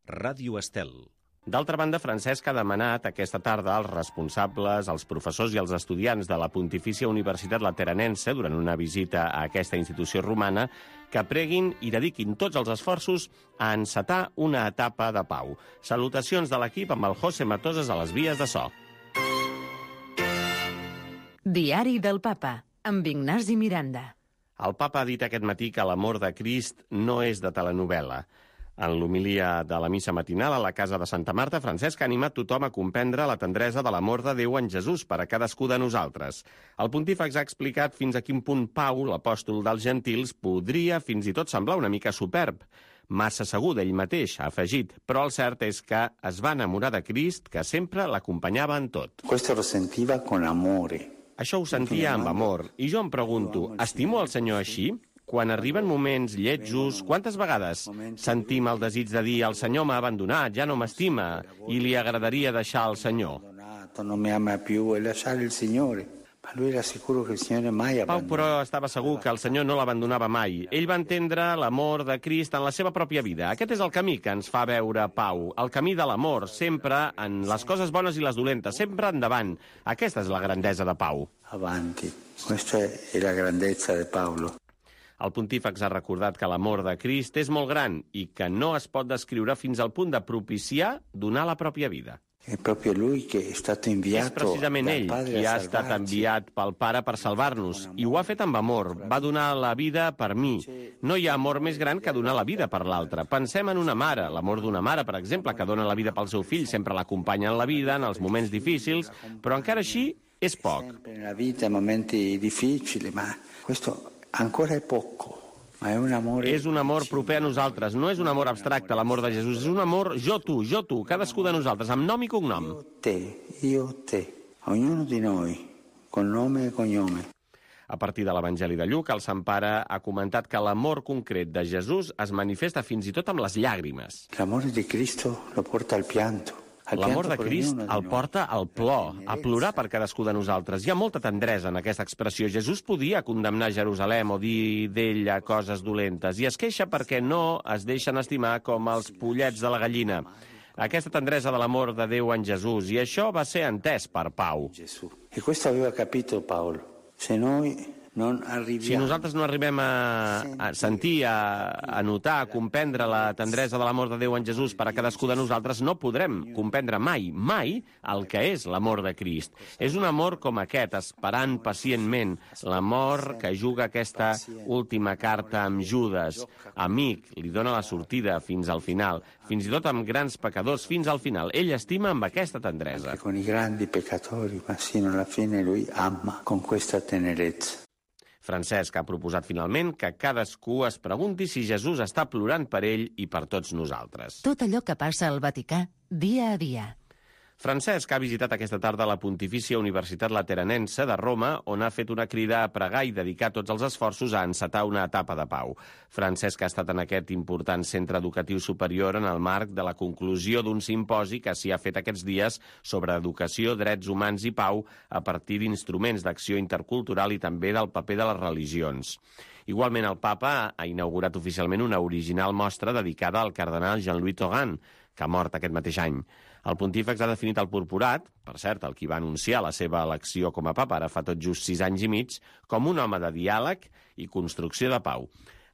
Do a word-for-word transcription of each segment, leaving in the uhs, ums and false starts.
Ràdio Estel. D'altra banda, Francesc ha demanat aquesta tarda als responsables, als professors i als estudiants de la Pontifícia Universitat Lateranense, durant una visita a aquesta institució romana, que preguin i dediquin tots els esforços a encetar una etapa de pau. Salutacions de l'equip amb el José Matoses a les vies de so. Diari del Papa, amb Ignasi Miranda. El Papa ha dit aquest matí que l'amor de Crist no és de telenovel·la. En l'homilia de la missa matinal a la casa de Santa Marta, Francesc ha animat tothom a comprendre la tendresa de l'amor de Déu en Jesús per a cadascú de nosaltres. El pontífex ha explicat fins a quin punt Pau, l'apòstol dels gentils, podria fins i tot semblar una mica superb. Massa segur d'ell mateix, ha afegit, però el cert és que es va enamorar de Crist, que sempre l'acompanyava en tot. Questo lo sentiva con amore. Això ho sentia amb amor, i jo em pregunto, estimo el Senyor així? Quan arriben moments lletjos, quantes vegades sentim el desig de dir el Senyor m'ha abandonat, ja no m'estima, i li agradaria deixar el Senyor? Non mi ama più e lasciare il Signore. Ma lui era sicuro che il Signore mai Pau, però, estava segur que el Senyor no l'abandonava mai. Ell va entendre l'amor de Crist en la seva pròpia vida. Aquest és el camí que ens fa veure Pau, el camí de l'amor, sempre en les coses bones i les dolentes, sempre endavant. Aquesta és la grandesa de Pau. Avanti. Questa è la grandezza di Paolo. El pontífex ha recordat que l'amor de Crist és molt gran i que no es pot descriure fins al punt de propiciar donar la pròpia vida. È proprio lui che è stato inviato. És precisament ell qui ha estat enviat pel Pare per salvar-nos, i ho ha fet amb amor. Va donar la vida per mi. No hi ha amor més gran que donar la vida per l'altre. Pensem en una mare, l'amor d'una mare, per exemple, que dona la vida pel seu fill, sempre l'acompanya en la vida, en els moments difícils, però encara així és poc. Sempre nella vita, in momenti difficili, ma questo ancora è poco. Ma è un amore... És un amor proper a nosaltres, no és un amor abstracte, l'amor de Jesús, és un amor jo tu, jo tu, cadascú de nosaltres, amb nom i cognom. Io te, io te, ognuno di noi, con nome e cognome. A partir de l'Evangeli de Lluc, el Sant Pare ha comentat que l'amor concret de Jesús es manifesta fins i tot amb les llàgrimes. L'amore di Cristo lo porta al pianto. L'amor de Crist el porta al plor, a plorar per cadascú de nosaltres. Hi ha molta tendresa en aquesta expressió. Jesús podia condemnar Jerusalem o dir d'ella coses dolentes, i es queixa perquè no es deixen estimar com els pollets de la gallina. Aquesta tendresa de l'amor de Déu en Jesús, i això va ser entès per Pau. E questo aveva capito Paolo. Se noi non arriviamo... Si nosaltres no arribem a, a sentir, a, a notar, a comprendre la tendresa de l'amor de Déu en Jesús per a cadascú de nosaltres, no podrem comprendre mai, mai el que és l'amor de Crist. És un amor com aquest, esperant pacientment, l'amor que juga aquesta última carta amb Judas. Amic, li dona la sortida fins al final, fins i tot amb grans pecadors fins al final. Ell estima amb aquesta tendresa. Con i grandi peccatori, ma sino alla fine lui ama con questa tenerezza. Francesc ha proposat finalment que cadascú es pregunti si Jesús està plorant per ell i per tots nosaltres. Tot allò que passa al Vaticà, dia a dia. Francesc ha visitat aquesta tarda la Pontifícia Universitat Lateranense de Roma, on ha fet una crida a pregar i dedicar tots els esforços a encetar una etapa de pau. Francesc ha estat en aquest important centre educatiu superior en el marc de la conclusió d'un simposi que s'hi ha fet aquests dies sobre educació, drets humans i pau a partir d'instruments d'acció intercultural i també del paper de les religions. Igualment, el papa ha inaugurat oficialment una original mostra dedicada al cardenal Jean-Louis Tauran, que ha mort aquest mateix any. El pontífex ha definit el purpurat, per cert, el qui va anunciar la seva elecció com a papa ara fa tot just sis anys i mig, com un home de diàleg i construcció de pau.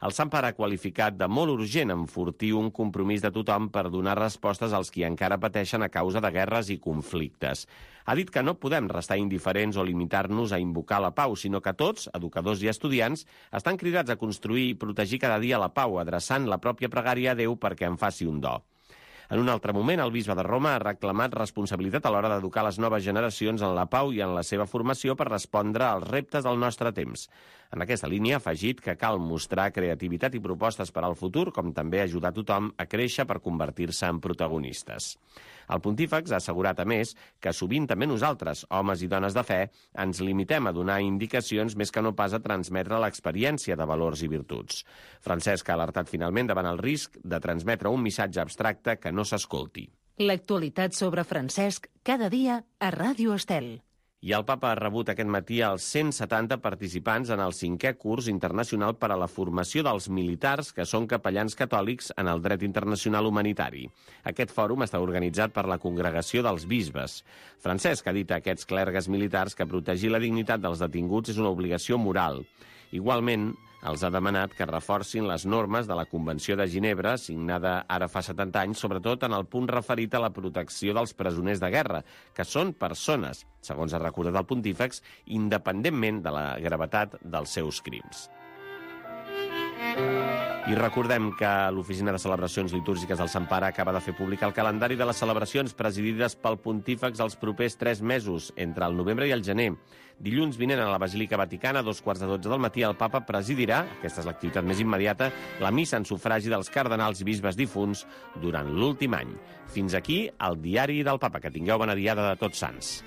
El Sant Pare ha qualificat de molt urgent enfortir un compromís de tothom per donar respostes als qui encara pateixen a causa de guerres i conflictes. Ha dit que no podem restar indiferents o limitar-nos a invocar la pau, sinó que tots, educadors i estudiants, estan cridats a construir i protegir cada dia la pau, adreçant la pròpia pregària a Déu perquè en faci un do. En un altre moment, el bisbe de Roma ha reclamat responsabilitat a l'hora d'educar les noves generacions en la pau i en la seva formació per respondre als reptes del nostre temps. En aquesta línia ha afegit que cal mostrar creativitat i propostes per al futur, com també ajudar tothom a créixer per convertir-se en protagonistes. El pontífex ha assegurat, a més, que sovint també nosaltres, homes i dones de fe, ens limitem a donar indicacions més que no pas a transmetre l'experiència de valors i virtuts. Francesc ha alertat finalment davant el risc de transmetre un missatge abstracte que no s'escolti. L'actualitat sobre Francesc cada dia a Ràdio Estel. I el papa ha rebut aquest matí els cent setanta participants en el cinquè curs internacional per a la formació dels militars que són capellans catòlics en el dret internacional humanitari. Aquest fòrum està organitzat per la Congregació dels Bisbes. Francesc ha dit a aquests clergues militars que protegir la dignitat dels detinguts és una obligació moral. Igualment, els ha demanat que reforcin les normes de la Convenció de Ginebra, signada ara fa setanta anys, sobretot en el punt referit a la protecció dels presoners de guerra, que són persones, segons ha recordat el pontífex, independentment de la gravetat dels seus crims. I recordem que l'Oficina de Celebracions Litúrgiques del Sant Pare acaba de fer públic el calendari de les celebracions presidides pel pontífex els propers tres mesos, entre el novembre i el gener. Dilluns vinent a la Basílica Vaticana, a dos quarts de dotze del matí, el papa presidirà, aquesta és l'activitat més immediata, la missa en sufragi dels cardenals i bisbes difunts durant l'últim any. Fins aquí el diari del papa. Que tingueu bona diada de Tots Sants.